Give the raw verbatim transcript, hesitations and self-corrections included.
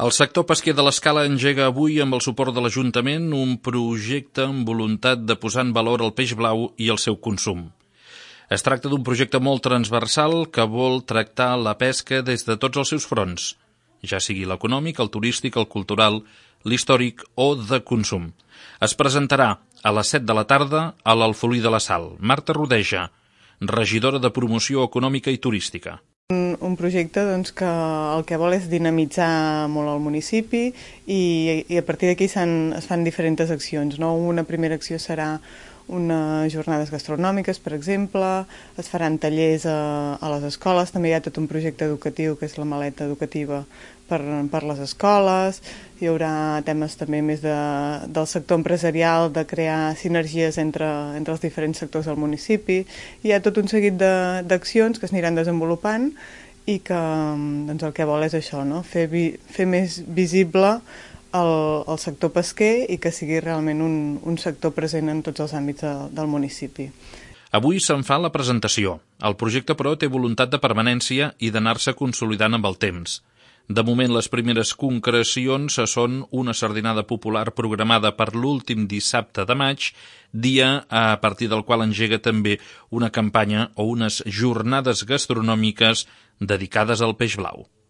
El sector pesquer de l'Escala engega avui, amb el suport de l'Ajuntament, un projecte amb voluntat de posar en valor el peix blau i el seu consum. Es tracta d'un projecte molt transversal que vol tractar la pesca des de tots els seus fronts, ja sigui l'econòmic, el turístic, el cultural, l'històric o de consum. Es presentarà a les set de la tarda a l'Alfolí de la Sal. Marta Rodeja, regidora de Promoció Econòmica i Turística. Un, un projecte doncs, que el que vol és dinamitzar molt el municipi i, i a partir d'aquí es fan diferents accions, no? Una primera acció serà unes jornades gastronòmiques, per exemple, es faran tallers a, a les escoles, també hi ha tot un projecte educatiu que és la maleta educativa per, per les escoles, hi haurà temes també més de, del sector empresarial, de crear sinergies entre, entre els diferents sectors del municipi, hi ha tot un seguit d'accions que es aniran desenvolupant i que doncs, el que vol és això, no? fer, vi, fer més visible El, el sector pesquer i que sigui realment un, un sector present en tots els àmbits de, del municipi. Avui se'n fa la presentació. El projecte, però, té voluntat de permanència i d'anar-se consolidant amb el temps. De moment, les primeres concrecions són una sardinada popular programada per l'últim dissabte de maig, dia a partir del qual engega també una campanya o unes jornades gastronòmiques dedicades al peix blau.